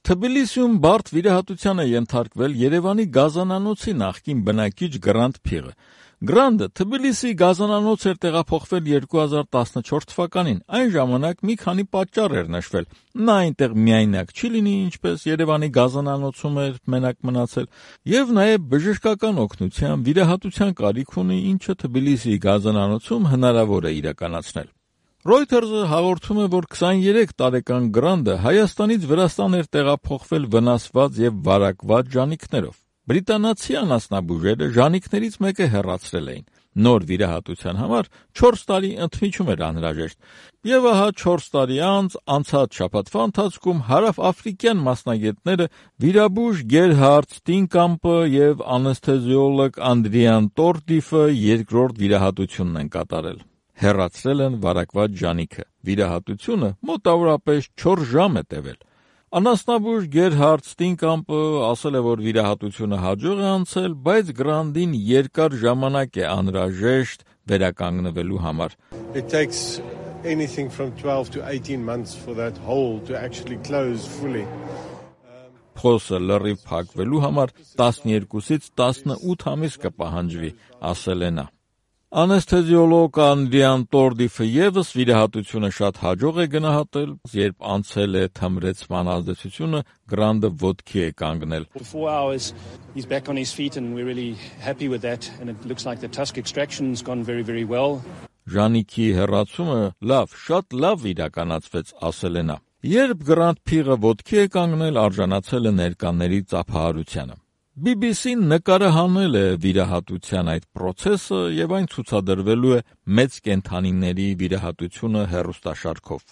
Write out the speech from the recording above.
Թբիլիսիում բարդ վիրահատության է ենթարկվել Երևանի գազանանոցի նախկին բնակիչ Գրանդ Փիղը։ Գրանդը Թբիլիսի գազանանոց էր տեղափոխվել 2014 թվականին, այն ժամանակ մի քանի պատճառ էր նշվել։ Նա այնտեղ միայնակ չի լինի, ինչպես Երևանի գազանանոցում էր մենակ մնացել, եւ նաեւ բժշկական օգնության, վիրահատության կարիք ունի, ինչը Թբիլիսի գազանանոցում հնարավոր է իրականացնել։ Reuters-ը հաղորդում է, որ 23 տարեկան Գրանդը Հայաստանից Վրաստան էր տեղափոխվել վնասված եւ վարակված ժանիքներով։ Բրիտանացի անասնաբուժերը ժանիքներից մեկը հեռացրել էին։ Նոր վիրահատության համար 4 տարի ընդմիջում էր անհրաժեշտ։ Եվ ահա 4 տարի անց անցած շաբաթվա ընթացքում հարավաֆրիկյան մասնագետները վիրաբույժ Գերհարդ Ստինկամպը եւ անեսթեզիոլոգ Անդրիան Տորդիֆը երկրորդ վիրահատությունն են կատարել։ Հեռացրել են վարակված ժանիքը։ Վիրահատությունը մոտավորապես 4 ժամ է տևել։ Անասնաբույժ Գերհարդ Ստինկամպը ասել է, որ վիրահատությունը հաջող է անցել, բայց Գրանդին երկար ժամանակ է անհրաժեշտ վերականգնվելու համար։ It takes anything from 12 to 18 months for that hole to actually close fully. Փոսը լրիվ փակվելու համար 12-ից 18 ամիս կպահանջվի, ասել է նա։ Անեսթեզիոլոգ Անդրիան Տորդիֆը եւս վիրահատությունը շատ հաջող է գնահատել, երբ անցել է թմրեցման ազդեցությունը, Գրանդը ոտքի է կանգնել։ For 4 hours he's back on his feet and we're really happy with that and it looks like the tusk extraction's gone very very well. Ժանիքի հեռացումը շատ լավ իրականացվեց, ասել է նա։ Երբ Գրանդ Փիղը ոտքի է կանգնել, արժանացել է ներկաների ծափահարությանը։ BBC-ն նկարահանել է վիրահատության այդ process-ը եւ այն ցուցադրվելու է մեծ կենդանիների վիրահատությունը հեռուստաշարքով։